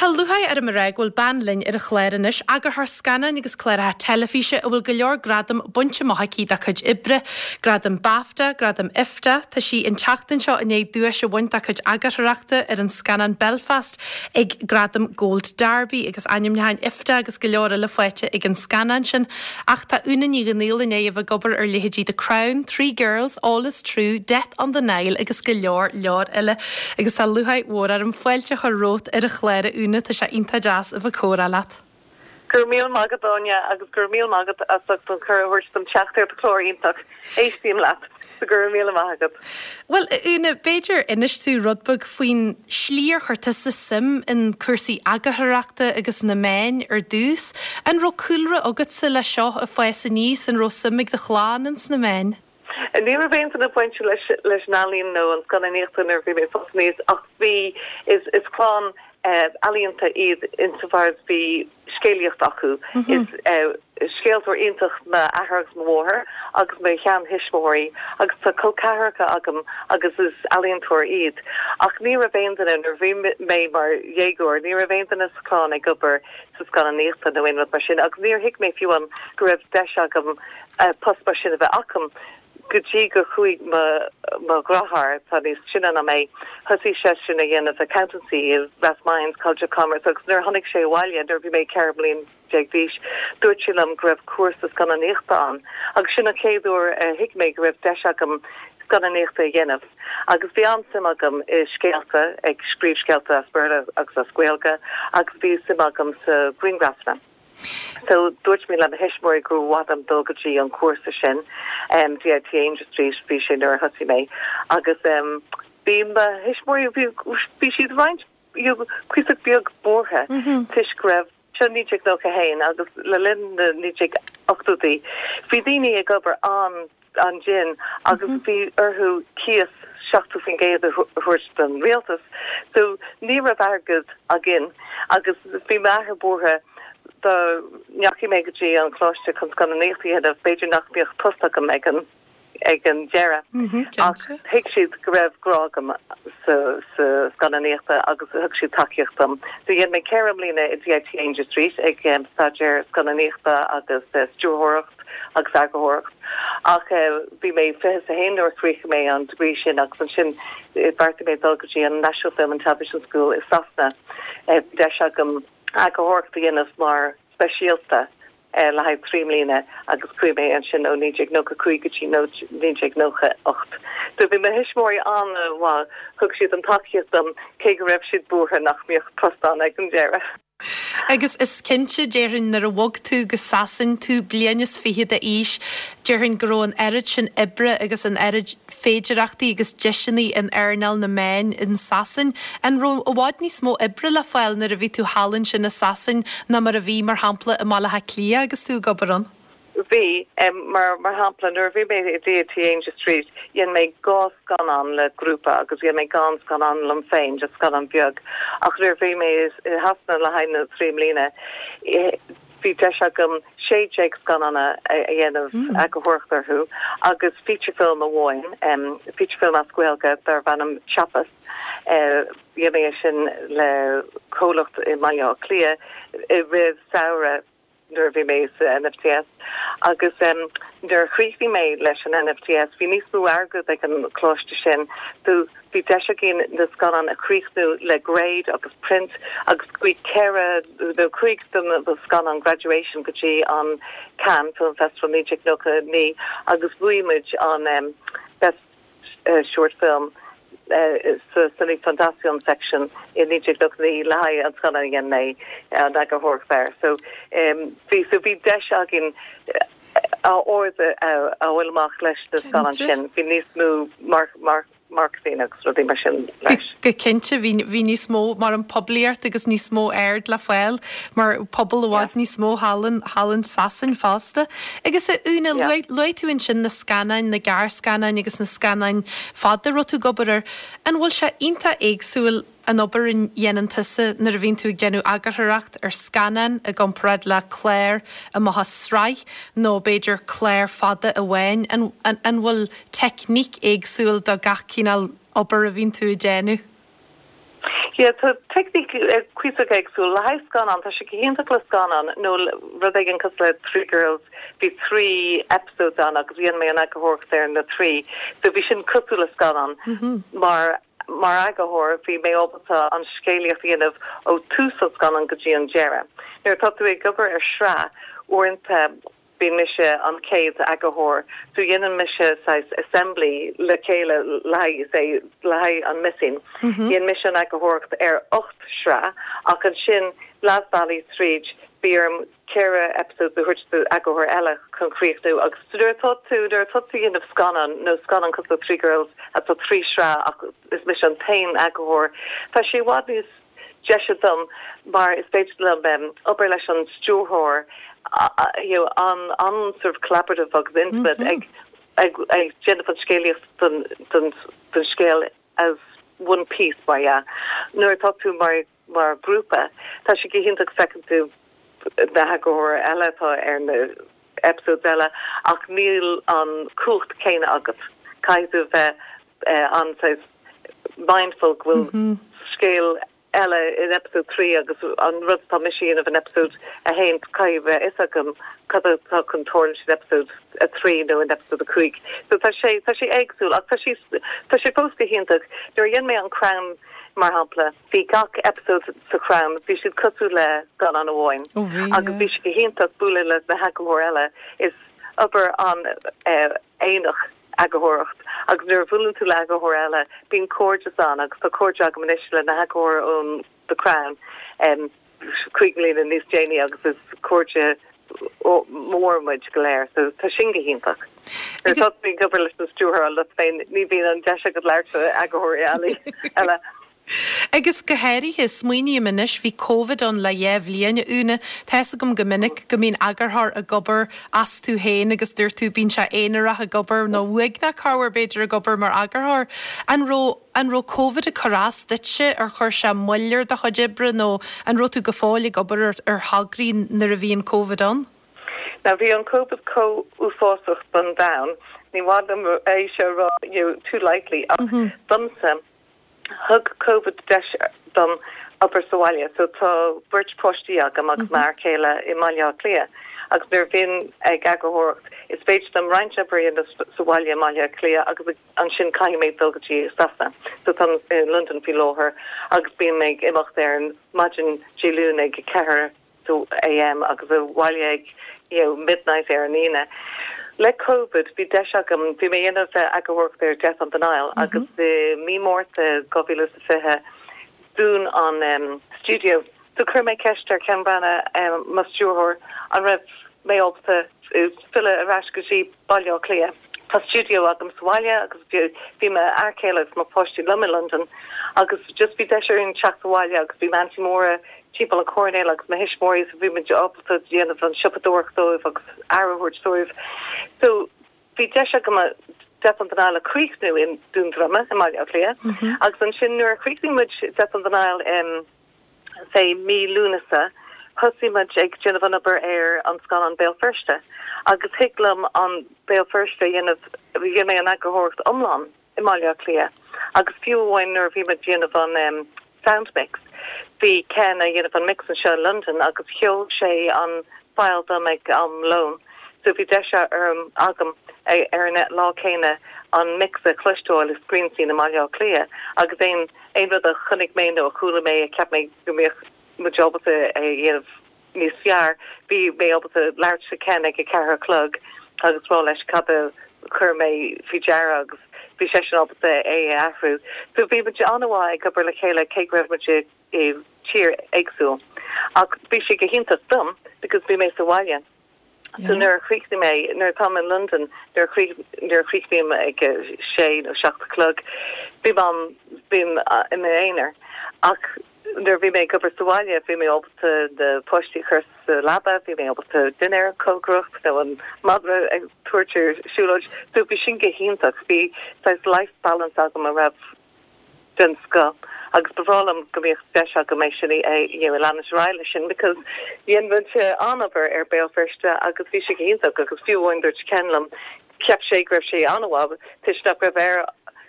Tá lúcháir orm a rá go bhfuil bean linn ar an chlár anois, eagarthóir scannáin agus cláracha teilifíse a bhfuil go leor gradam bainte amach aici dá cuid oibre, Gradam BAFTA, Gradam IFTA, tá sí an tseachtain seo i ndiaidh duais a bhaint dá cuid eagarthóireachta ar an scannán Belfast ag Gradam Gold Derby agus ainmniúcháin IFTA agus go leor eile faighte ag an scannán sin. Ach tá Úna Ní Dhomhnaill i ndiaidh a bheith ag obair ar leithéidí The Crown, Three Girls, All Is True, Death on the Nile agus go leor leor eile. Agus tá lúcháir mhór orm fáilte a chur romhat ar an chlár a Úna, tá sé iontach deas a bheith ag comhrá leat. Go raibh míle maith agat Áine agus go raibh míle maith agat as ucht an cuireadh a thabhairt dom teacht ar do chlár iontach. Éistím leat, so go raibh míle maith agat. Bhuel, a Úna, b'fhéidir inis tú rud beag faoin slí ar chuir tusa suim in cúrsaí eagarthóireachta agus na meáin ar dtús. An raibh cúlra agatsa le seo ag fás aníos, an raibh suim ag do chlann ins na meáin? Ní raibh aon duine bainte leis leis an ealaín nó an scannánaíocht nuair a bhí mé ag fás aníos ach bhí, is is clann ealaíonta iad insofar as bhí scéalaíocht acu. Is scéaltóir iontach m'athair agus mo mháthair agus mo sheantuismitheoirí agus tá col ceathracha agam agus is ealaíontóir iad. Ach ní raibh aon duine, nuair a bhí mé mar dhéagóir, ní raibh aon duine sa chlann ag obair sa scannánaíochta nó aon rud mar sin agus níor thuig mé fiú amháin go raibh deis agam post mar sin a bheith agam go dtí gur chuaigh mo mo dheartháir, atá níos sine ná mé, thosaigh seisean a dhéanamh accountancy i Rathmines College of Commerce agus nuair a tháinig sé abhaile nuair a bhí mé 14 mbliain d'aois, dúirt sé liom go raibh cúrsa scannánaíochta ann agus sin an chéad uair a thuig mé go raibh deis agam scannánaíochta a dhéanamh agus bhí an-suim agam i scéalta, ag scríobh scéalta as Béarla agus as Gaeilge agus bhí suim agam sa ghrianghrafanna. So, dúirt mé le mo thuismitheoirí gur mhaith liom dul go dtí an cúrsa sin, DIT Aungier Street, bhí sé nuair a thosaigh mé, agus bhí mo thuismitheoirí, bhí, bhí siad roinnt, you know, cuíosach beag buartha toisc go raibh, seo 1991 agus le linn na 1980idí, bhí daoine ag obair an, an-dian agus bhí orthu cíos 70% a thabhairt don rialtas so ní raibh airgead againn agus bhí m'athair buartha dá ndeachaigh mé go dtí an coláiste chun scannánaíocht a dhéanamh b'fhéidir nach mbeadh post agam ag an ag an deireadh ach thuig siad go raibh grá agam sa sa scannánaíochta agus thug siad tacaíocht dom. So dhein mé 4 mbliana i DIT Aungier Street ag staidéar scannánaíochta agus stiúrthóireacht. agus eagarthóireacht. Ach bhí mé 21 nuair a chríochnaigh mé an degree sin agus ansin bheartaigh mé dul go dtí an National Film and Television School i Sasana. Bhí deis agam eagarthóireacht a dhéanamh mar speisialta le haghaidh 3 mbliana agus chuaigh mé ansin ó 1995 go dtí 1998. So bhí mo thuismitheoirí an-mhaith, thug siad an tacaíocht dom cé go raibh siad buartha nach mbeadh post ann ag an deireadh. Agus is cinnte, déarfainn, nuair a bhog tú go Sasain, tú bliain is fichead d'aois, déarfainn go raibh an oiread sin oibre agus an oiread féidireachtaí agus deiseanna in earnáil na meáin in Sasain. An raibh i bhfad níos mó oibre le fáil nuair a bhí tú thall ansin i Sasain ná mar a bhí, mar shampla, i mBaile Átha Cliath agus tú ag obair ann? Bhí. Mar mar shampla, nuair a bhí mé i DIT Aungier Street, dhein mé dhá scannán le grúpa agus dhein mé dhá scannán liom féin, just scannán beag. Ach nuair a bhí mé i Shasana le haghaidh na dtrí mbliana, bhí deis agam 16 scannán a dhéanamh eagarthóireacht orthu agus feature film amháin, feature film as Gaeilge darbh ainm Chiapas. Dhein mé é sin le comhlacht i mBaile Átha Cliath i rith samhradh. nuair a bhí mé sa NFTS agus nuair a chríochnaigh mé leis an NFTS bhí níos mó airgead ag an coláiste sin so bhí deis againn na scannáin a chríochnú le grade agus print agus chuaigh ceithre nó cúig de na scannáin graduation go dtí an Cannes Film Festival 1999 agus bhuaigh muid an Best short film sa Cinéfondation section i 1999 le haghaidh an scannán a dhein mé an eagarthóireacht air. So bhí so bhí deis againn ard a fháil amach leis na scannáin sin. Bhí níos mó mar mar marketing agus rudaí mar sin leis. Go cinnte bhí bhí níos mó mar an poiblíocht agus níos mó aird le fáil mar pobal i bhfad níos mó thall in thall in Sasain fosta. Agus a Úna, luaigh tú ansin na scannáin, na gearrscannáin agus na scannáin fada a raibh tú ag obair air. An bhfuil sé iontach éagsúil an obair a dhéanann tusa nuair a bhíonn tú ag déanamh eagarthóireacht ar scannán i gcomparáid le clár amach as sraith nó b'fhéidir clár fada amháin? An an bhfuil teicníc éagsúil do gach cineál obair a bhíonn tú ag déanamh? Yeah, tá teicníc cuíosach éagsúil. Le haghaidh scannán, tá sé go hiontach le scannán nó rud éigin cosúil le Three Girls, bhí trí episodes ann agus dhein mé an eagarthóireacht ar na trí. So bhí sin cosúil le scannán. Mar mar eagarthóir, bhí mé ábalta an scéalaíocht a dhéanamh ó tús an scannáin go dtí an deireadh. Nuair atá tú ag obair ar shraith, uaireanta, Bíonn mise an chéad eagarthóir so dhéanann mise saghas assembly le chéile le haghaidh say le haghaidh an Missing. Dhein mise an eagarthóireacht ar 8 sraith ach ansin leath bealaigh tríd bhí orm ceithre episodes a thabhairt do eagarthóir eile chun críochnú agus nuair atá tú nuair atá tú dhéanamh scannán nó scannán cosúil le Three Girls atá trí shraith ach is mise an t-aon eagarthóir tá sé i bhfad níos deise dom mar is féidir liom obair leis an stiúrthóir you know an an sort of collaborative agus intimate ag ag ag déanamh an scéalaíocht don don don scéal as one piece mar dhea. Nuair atá tú mar mar grúpa tá sé go hiontach feiceann tú na heagarthóir eile atá ar na episodes eile ach níl an cumhacht céanna agat. Caithfidh tú a bheith an saghas mindful go bhfuil scéal eile in episode 3 agus an rud atá mise a dhéanamh in episode 1 caithfidh a bheith fhios agam cad atá chun tarlúint in episode 3 nó in episode 5. So tá sé tá sé éagsúil ach tá sé tá sé fós go hiontach. Nuair a dhein mé an Crown mar shampla bhí gach episode sa Crown bhí siad cosúil le scannán amháin agus bhí sé go hiontach bualadh le na heagarthóir eile is obair an aonarach eagarthóireacht agus nuair a bhuaileann tú le eagarthóir eile bíonn cairdeas ann agus tá cairde agam anois le na heagarthóir ón The Crown 5 mbliana níos déanaí agus is cairde mór muid go léir so tá sin go hiontach. Nuair atá tú ag obair leis an stiúrthóir leat féin ní bhíonn an deis agat labhairt le eagarthóirí eile. Agus go háirithe, smaoiním anois, bhí Covid ann le dhá bhliain, a Úna. Tá fhios agam go minic go mbíonn eagarthóir ag obair astu féin agus dúirt tú, bíonn sé aonarach ag obair nó uaigneach corruair b'fhéidir ag obair mar eagarthóir. An raibh, an raibh Covid ag cur as duitse, ar chuir sé moill ar do chuid oibre nó an raibh tú go fóill ag obair ar, ar thograí nuair a bhí an Covid ann? Now bhí an Covid chomh uafásach don domhan, ní maith liom é seo a rá, you know, too lightly ach domsa, Thug Covid deis dom obair sa bhaile. So tá beirt páistí agam agus m'fhear céile i mBaile Átha Cliath agus nuair a bhím ag eagarthóireacht is féidir liom roinnt obair a dhéanamh sa bhaile i mBaile Átha Cliath agus ansin caithfidh mé dul go dtí Sasana. So táim i Londain faoi láthair agus bím ag imeacht ar an maidin Dé Luain ag 4 AM agus abhaile ag you know midnight ar an Aoine. Le Covid bhí deis agam, bhí mé ag déanamh eagarthóireacht ar Death on the Nile agus i mí Márta 2020 dún an stiúideo so chuir mé ceist ar Ken Branagh, mo stiúrthóir, an raibh mé ábalta filleadh ar ais go dtí Baile Átha Cliath. Tá stiúideo agam sa bhaile agus bhí m'fhear céile agus mo pháistí liom i Londain agus just bhí deis orainn teacht abhaile agus bhí m'aintín Máire timpeall an choirnéil agus mo thuismitheoirí so bhí muid ábalta déanamh an siopadóireacht dóibh agus aire a thabhairt dóibh. So bhí deis agam Death on the Nile a chríochnú i nDún Droma i mBaile Átha Cliath agus ansin nuair a chríochnaigh muid Death on the Nile i say mí Lúnasa, thosaigh muid ag déanamh an obair ar an scannán Béal Feirste agus thig liom an Béal Feirste a dhéanamh, dhein mé an eagarthóireacht iomlán i mBaile Átha Cliath agus fiú amháin nuair a bhí muid ag déanamh an sound mix, bhí Ken a dhéanamh an mix anseo i Londain agus sheol sé an file dom ag am lóin so bhí deis orm, agam ar an lá céanna an mix a chloisteáil i Screen Scene i mBaile Átha Cliath agus aon Aon rud a chonaic mé nó a chuala mé a cheap mé go mbeadh muid ábalta a dhéanamh níos fearr, bhí mé ábalta labhairt le Ken ag a ceathair a chlog agus rá leis cad a chuir mé faoi deara agus bhí seisean ábalta é a athrú. So bhí muid an-mhaith ag obair le chéile cé go raibh muid i tír éagsúil. Ach bhí sé go hiontach dom because bhí mé sa bhaile. So nuair a chríochnaigh mé, nuair atáim in Londain, nuair a nuair a chríochnaím ag a sé nó 7 a chlog, bím am, bím i m'aonar. Ach nuair a bhí mé ag obair sa bhaile, bhí mé ábalta na páistí a chur sa leaba, bhí mé ábalta dinnéar a chócaireacht nó an madra a tabhairt ar siúlóid. So bhí sin go hiontach. Bhí saghas life balance agam a raibh den scoth agus ba bhreá liom go mbeadh deis agam é sin a you know leanúint ar aghaidh leis sin because dhein muid an-obair ar Béal Feirste agus bhí sé go hiontach agus fiú amháin dúirt Ken liom cheap sé go raibh sé an-mhaith toisc nach raibh air.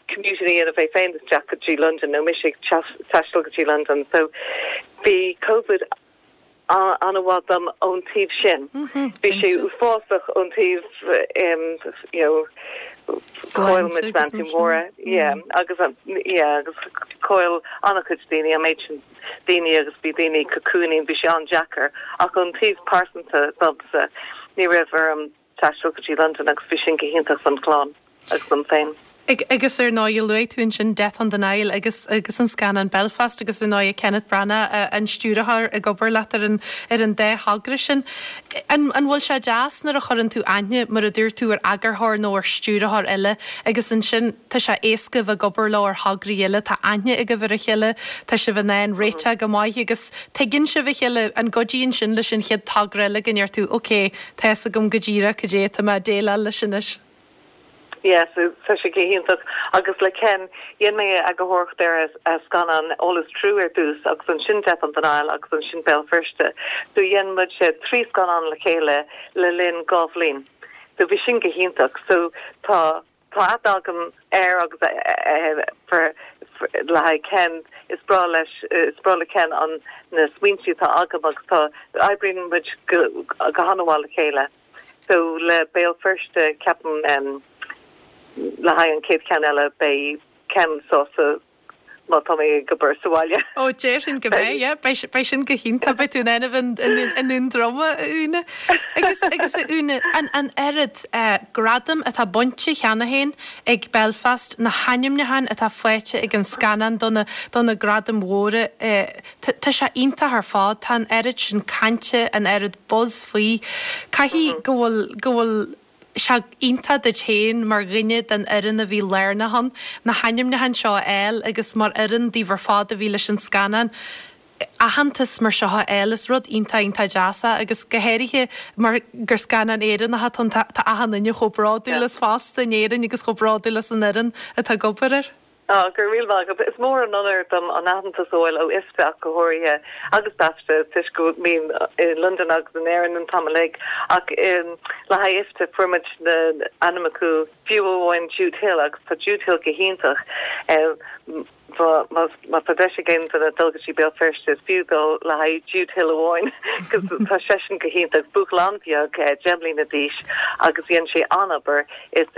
commuting a dhéanamh é féin isteach go dtí Londain nó mise ag taisteal go dtí Londain. So bhí Covid an-mhaith dom ón taobh sin. Bhí sé uafásach ón taobh you know chaill muid m'aintín Máire yeah agus yeah agus chaill an-chuid daoine an méid sin daoine agus bhí daoine cocooning bhí sé an-deacair ach ón taobh pearsanta domsa ní raibh orm taisteal go dtí Londain agus bhí sin go hiontach don chlann agus dom féin. Agus ar ndóigh luaigh tú ansin Death on the Nile agus agus an scannán Belfast agus ar ndóigh Kenneth Branagh an stiúrthóir ag obair leat ar an ar an dá thogra sin. An an bhfuil sé deas nuair a chuireann tú aithne mar a dúirt tú ar eagarthóir nó ar stiúrthóir eile agus ansin tá sé éasca a bheith ag obair leo ar thograí eile, tá aithne agaibh ar a chéile, tá sibh in ann réiteach go maith agus tuigeann sibh a chéile, an gcuidíonn sin leis an chéad togra eile go ndeir tú ok, Tá fhios agam go díreach cad é atá mé ag déileáil leis anois. Yes, tá sé go hiontach. Agus le Ken, dhein mé eagarthóireacht ar a scannán All Is True ar dtús agus ansin Death on the Nile agus ansin Béal Feirste. So dhein muid 3 scannán le chéile le linn 2 bhliain. So bhí sin go hiontach. So tá. Tá aithne agam air agus le haghaidh Ken, is breá leis, is breá le Ken an na smaointe atá agam agus tá, oibríonn muid go go han-mhaith le chéile. So le Béal Feirste ceapaim le haghaidh an chéad cheann eile beidh Ken sásta má tá mé ag obair sa bhaile. Ó, déarfainn go mbeidh, yeah. Beidh, beidh sin go hiontach. Beidh tú in ann a bheith i nDún Droma, a Úna. Agus, agus a Úna, an, an oiread eh, gradam atá bainte cheana féin ag Belfast, na hainmniúcháin atá faighte ag an scannán do na, do na gradaim mhóra, eh, tá, tá sé iontach ar fad. Tá an oiread sin cainte, an oiread buzz faoi. Caithfidh go bhfuil, go bhfuil, sé iontach duit féin mar dhuine den fhoireann a bhí lárnach ann, na hainmniúcháin seo a fháil agus mar fhoireann daoibh ar fad a bhí leis an scannán, aitheantas mar seo a fháil. Is rud iontach, iontach deas é agus go háirithe mar gur scannán Éireannach atá ann, tá achan duine chomh bródúil as fosta in Éirinn agus chomh bródúil as an fhoireann atá ag obair air. Á, go raibh míle maith agat. Is mór an onóir dom an aitheantas a fháil ó IFTA ach go háirithe, agus BAFTA, toisc go mbím i Londain agus in Éirinn an t-am uilig. Ach le haghaidh IFTA, fuair muid na ainmneacha, fiú amháin Jude Hill, agus tá Jude Hill go hiontach. Má tá deis ag aon duine dul go dtí Béal Feirste, is fiú dul le haghaidh Jude Hill amháin, cos tá seisean go hiontach. Buachaill an-bheag, 10 mbliana d'aois, agus dhein sé an-obair. Is.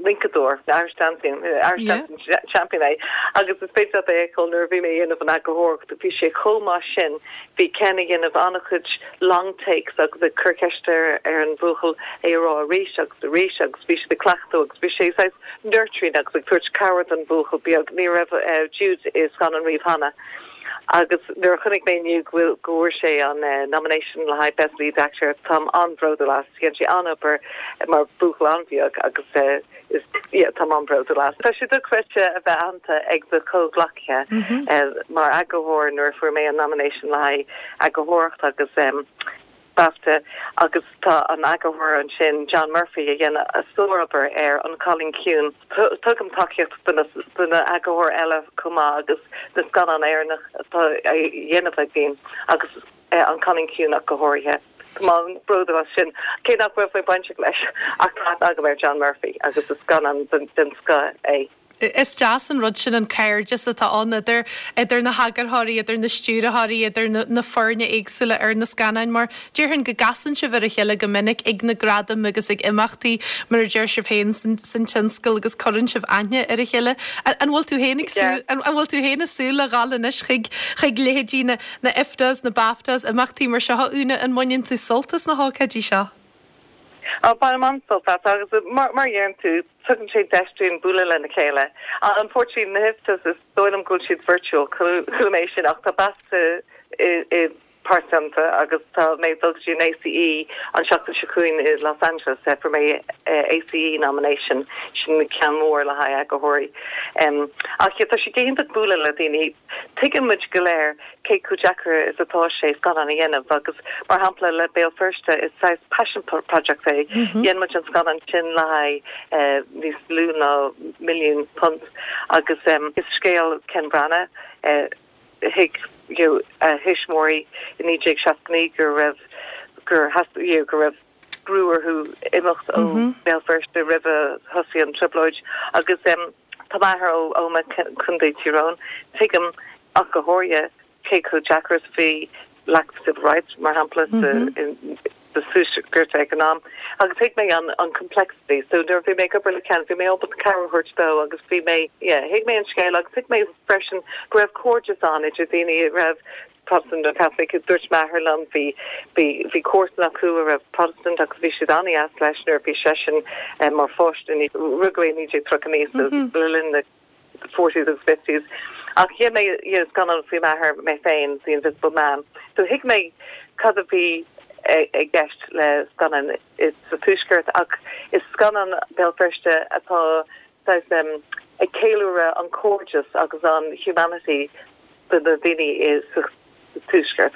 rincadóir, Irish Dancing, Irish Dancing Champion é agus is féidir leat é a fheiceáil nuair a bhí mé ag dhéanamh an eagarthóireacht, bhí sé chomh maith sin, bhí Ken ag dhéanamh an-chuid long takes agus ag cur ceiste ar an bhuachaill é a rá arís agus arís agus bhí siad ag cleachtadh agus bhí sé saghas nurturing agus ag tabhairt cabhair don bhuachaill beag, ní raibh Jude i scannán riamh cheana. Agus nuair a chonaic mé inniu go bhfuil, go bhfuair sé an nomination le haghaidh Best Lead Actor, táim an-bhródúil as. Dhein sé an-obair mar bhuachaill an-bheag agus is, yeah, táim an-bhródúil as. Tá sé dochreidte a bheith aitheanta ag do chomhghleacaithe mar eagarthóir nuair a fuair mé an nomination le haghaidh eagarthóireacht agus BAFTA agus tá an eagarthóir ansin, John Murphy, a dhein sárobair ar An Cailín Ciúin. Tugaim tacaíocht do na eagarthóirí eile chomh maith agus na scannáin Éireannach atá á dhéanamh againn agus An Cailín Ciúin ach go háirithe. Tá mé an-bhródúil as sin, cé nach raibh mé bainteach leis ach tá aithne agam ar John Murphy agus is scannán den scoth é. Is deas an rud sin an cairdeas atá ann idir idir na heagarthóirí, idir na stiúrthóirí, idir na na foirne éagsúla ar na scannáin mar déarfainn go gcasann sibh ar a chéile go minic ag na gradaim agus ag imeachtaí mar a deir sibh féin san san tionscal agus cuireann sibh aithne ar a chéile. An bhfuil tú féin ag súil an bhfuil tú féin ag súil le dhul anois chuig chuig leithéidí na na IFTAs, na BAFTAs, imeachtaí mar seo a Úna, an mbaineann tú sult as na hócáidí seo? Á, bainim an-sult as agus mar a deireann tú, tugann sé deis dúinn bualadh lena chéile. Unfortunately, na hIFTAs, is dóigh liom go bhfuil siad virtual, chuala mé sin, ach tá BAFTA i pearsanta agus tá mé ag dul go dtí an ACE an seachtain seo chugainn i Los Angeles, fuair mé ACE nomination, sin ceann mór le haghaidh eagarthóirí. Ach yeah, tá sé go hiontach bualadh le daoine. Tuigeann muid go léir cé chomh deacair is atá sé scannán a dhéanamh agus, mar shampla, le Béal Feirste, is saghas passion project é. Dhein muid an scannán sin le haghaidh níos lú ná milliún punt agus is scéal Ken Branagh, thuig a thuismitheoirí i 1969 go raibh, gur theastaigh, go raibh brú orthu imeacht ó Bhéal Feirste roimh a thosaigh an trioblóid agus. Tá m'athair ó Ómaigh, Contae Tyrone. Tuigim ach go háirithe cé chomh deacair is a bhí lack of civil rights, mar shampla, sa Tuaisceart ag an am. Agus thuig mé an complexity. So nuair a bhí mé ag obair le Ken, bhí mé ábalta cabhair a thabhairt dó agus bhí mé, yeah, thuig mé an scéal agus thuig mé freisin go raibh cairdeas ann idir daoine a raibh Protestant nó Catholic. Dúirt m'athair liom, bhí, bhí, bhí comharsan acu a raibh Protestant agus bhí siad an-dheas leis nuair a bhí seisean mar pháiste, rugadh é i 1939 so le linn na forties agus fifties. Ach dhein mé you know scannán faoi m'athair mé féin, The Invisible Man. So thuig mé cad a bhí i gceist le scannán sa Tuaisceart ach is scannán Béal Feirste atá saghas ag ceiliúradh an cairdeas agus an humanity do na daoine sa Tuaisceart.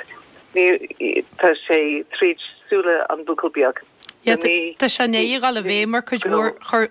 Ní, tá sé tríd súile an bhuachaill beag. Yeah, tá sé i ndiaidh a dhul i bhfeidhm ar cuid mhór,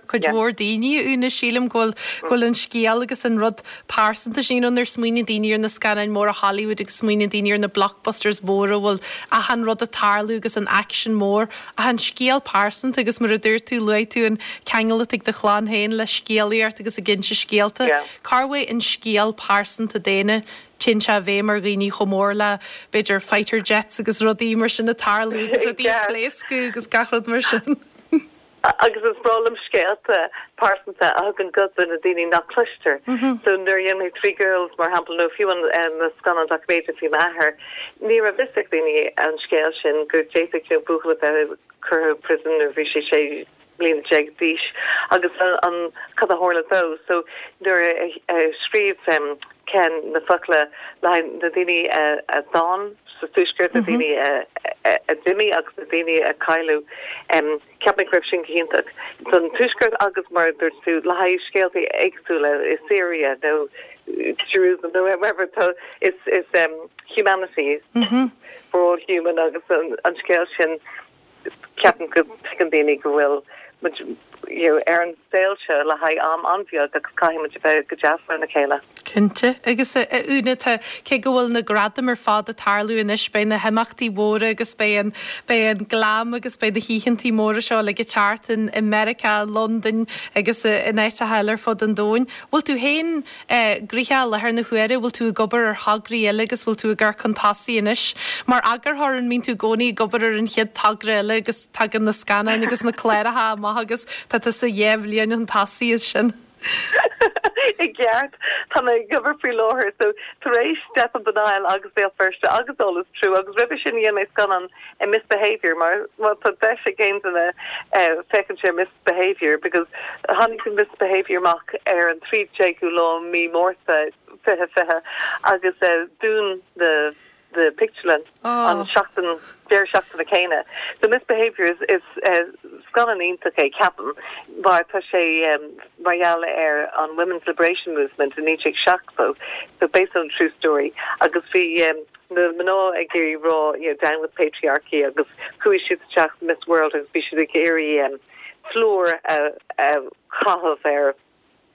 cuid mhór daoine, a Úna. Sílim go bhfuil, go bhfuil an scéal agus an rud pearsanta sin, you know, nuair a smaoiníonn daoine ar na scannáin mhóra Hollywood agus smaoiníonn daoine ar na blockbusters mhóra a bhfuil achan rud ag tarlú agus an aicsean mór, ach an scéal pearsanta agus mar a dúirt tú, luaigh tú an ceangal atá ag do chlann féin le scéalaíocht agus ag inse scéalta. Cá bhfuil an scéal pearsanta daonna Téann sé i bhfeidhm ar dhaoine chomh mór le, b'fhéidir, fighter jets agus rudaí mar sin ag tarlú agus rudaí ag pléascadh agus gach rud mar sin. Agus is breá liom scéalta pearsanta a thugann guth do na daoine nach cloistear. So nuair a dhein mé Three Girls, mar shampla, nó fiú an na scannáin doiciméide faoi m'athair, ní raibh fhios ag daoine an scéal sin, go d'fhéadfadh, you know, buachaill a bheith curtha prison nuair a bhí sé sé mbliana déag d'aois agus an cad a tharla dó. So nuair a scríobh Ken na focla le haghaidh na daoine a d'fhan sa Tuaisceart, na daoine a d'imigh agus na daoine a cailleadh, cheap mé go raibh sin go hiontach don Tuaisceart agus mar a dúirt tú le haghaidh scéalta éagsúla i Syria nó Jerusalem nó wherever tá is is humanity, we're all human agus an scéal sin. Ceapaim go dtuigeann daoine go bhfuil muid you know ar an saol seo le haghaidh am an-bheag agus caithfidh muid a bheith go deas lena chéile. Cinnte. Agus a Úna, tá, cé go bhfuil na gradaim ar fad ag tarlú anois, beidh na himeachtaí mhóra agus beidh an, beidh an glam agus beidh na hoícheantaí móra seo uilig ag teacht in, i Meiriceá, i Londain agus in áiteacha eile ar fud an domhain. Bhfuil tú féin Gnoitheach i láthair na huaire, bhfuil tú ag obair ar thograí eile agus bhfuil tú ag amharc chun tosaigh anois? Mar eagarthóir, an mbíonn tú i gcónaí ag obair ar an chéad togra eile agus tagann na scannáin agus na cláracha amach agus tá tusa dhá bhliain chun tosaigh as sin? I gceart. Tá mé ag obair faoi láthair so tar éis Death on the Nile agus Béal Feirste agus All Is True agus roimhe sin dhein mé scannán Miss Behaviour mar má tá deis ag aon duine féachaint ar Miss Behaviour because tháinig Miss Behaviour amach ar an 13ú lá mí Márta 2020 agus dún na na pictiúrlann an seachtain deireadh seachtaine céanna. So Miss Behaviour is is scannán iontach é ceapaim mar tá sé mar gheall ar an Women's Liberation Movement i 1970 so based on a true story agus bhí na mná ag iarraidh rá you know down with patriarchy agus chuaigh siad isteach sa Miss World agus bhí siad ag iarraidh plúr a chaitheamh ar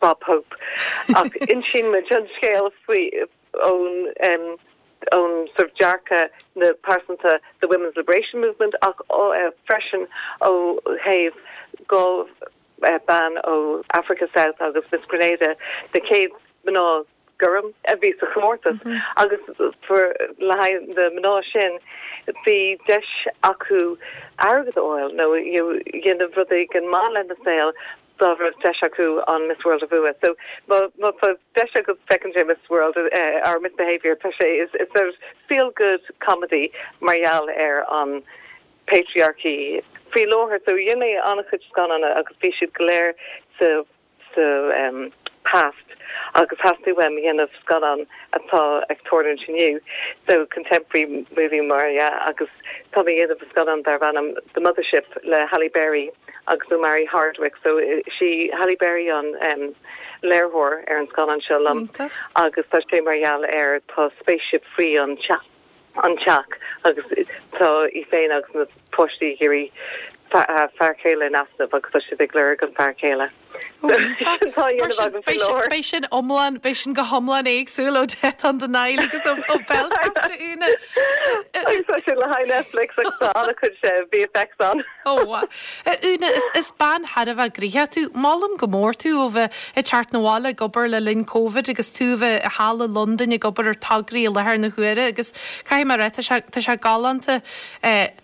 Bob Hope ach insíonn muid an scéal faoi ón ón sort of dearcadh na pearsanta the Women's Liberation Movement ach freisin ó thaobh go bean ó Africa South agus Miss Grenada na chéad mná gorm a bhí sa chomórtas agus le haghaidh na mná sin bhí deis acu airgead a fháil nó dhéanamh rud éigin maith lena saol dá raibh deis acu an Miss World a bhua. So má tá deis agat féachaint ar Miss World or Miss Behaviour tá sé is it's a feel good comedy mar gheall ar an patriarchy faoi láthair. So dhein mé an-chuid scannán agus bhí siad go léir sa sa past agus theastaigh uaim a dhéanamh scannán atá ag tarlúint inniu, so contemporary movie mar dhea, agus tá mé a dhéanamh scannán darb ainm The Mothership le Halle Berry agus Omari Hardwick, so is í Halle Berry an léiritheoir ar an scannán seo liom agus tá sé mar gheall ar tá spaceship faoi an teach. an teach agus tá í féin agus na páistí ag iarraidh fear céile in easnamh agus tá siad ag lorg an fear céile. Tá a dhéanamh agam faoi láthair. Beidh sin iomlán, beidh sin go hiomlán éagsúil ó Death on the Nile agus ó Belfast a Úna. Agus tá sé. le haghaidh Netflix agus tá an-chuid VFX ann. Ó, a Úna, is bean thar a bheith gnoitheach tú. Molaim go mór tú ó bheith ag teacht 'na bhaile ag obair le linn Covid agus tú a bheith thall i Londain ag obair ar tograí i láthair na huaire agus caithfidh mé a rá, tá sé, tá sé galánta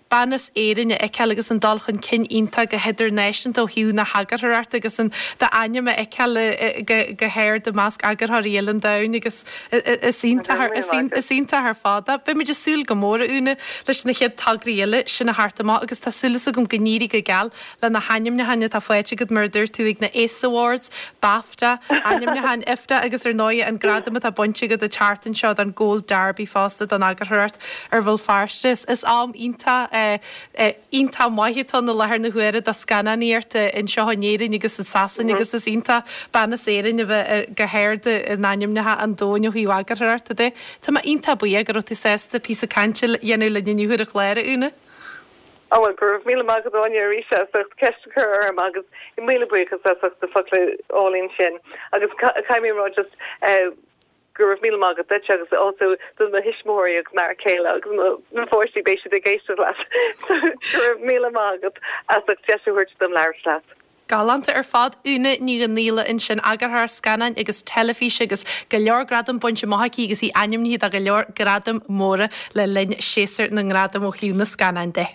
bean as Éirinn a fheiceáil agus an dul chun cinn iontach go hidirnáisiúnta ó thaobh na heagarthóireachta agus an d'ainm a fheiceáil go go hard i measc eagarthóirí uile an domhain agus is iontach is iontach ar fad é. Beidh muid ag súil go mór, a Úna, leis na chéad tograí eile sin a theacht amach agus tá súil agam go n-éirí go geal le na hainmniúcháin atá faighte agat mar a dúirt tú ag na ACE Awards, BAFTA, ainmniúcháin IFTA agus ar ndóigh an gradam atá bainte agat an tseachtain seo don Gold Derby fosta don eagarthóireacht ar Bhéal Feirste. Is am iontach iontach maith atá ann i láthair na huaire do scannánaíocht anseo in Éirinn agus i Sasain agus is iontach bean as Éirinn a bheith go hard in ainmneacha an domhain ó thaobh eagarthóireachta de. Tá mé iontach buíoch go raibh tú sásta píosa cainte a dhéanamh linn inniu ar an chlár, a Úna. Á bhuel, go raibh míle maith agat Áine arís as ucht ceist a chur orm agus míle buíochas as ucht na focla álainn sin agus caithfidh mé a rá just go raibh míle maith agat duit agus also do mo thuismitheoirí agus m'fhear céile agus mo mo pháistí beidh siad ag éisteacht leat so go raibh míle maith agat as ucht deis a thabhairt dom labhairt leat. Galánta ar fad. Úna Ní Dhonghaíle ansin, eagarthóir scannáin agus teilifíse agus go leor gradam bainte amach aici agus í ainmnithe do go leor gradaim móra le linn séasúr na ngradam ó thaobh na scannáin de.